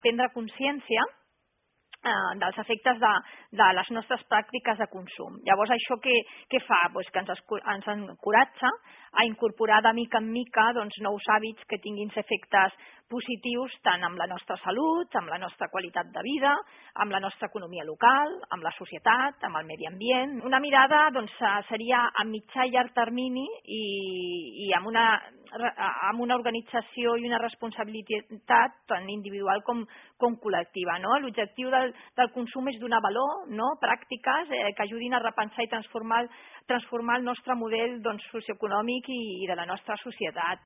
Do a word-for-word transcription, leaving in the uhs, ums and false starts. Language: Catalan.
prendre consciència eh, dels efectes de, de les nostres pràctiques de consum. Llavors, això què, què fa? Pues que ens, escu- ens encoratja a incorporar de mica en mica doncs, nous hàbits que tinguin efectes positius tant amb la nostra salut, amb la nostra qualitat de vida, amb la nostra economia local, amb la societat, amb el medi ambient. Una mirada doncs, seria a mitjà i llarg termini i, i amb, una, amb una organització i una responsabilitat tant individual com, com col·lectiva. No? L'objectiu del, del consum és donar valor, no? Pràctiques eh, que ajudin a repensar i transformar, transformar el nostre model doncs, socioeconòmic i, i de la nostra societat.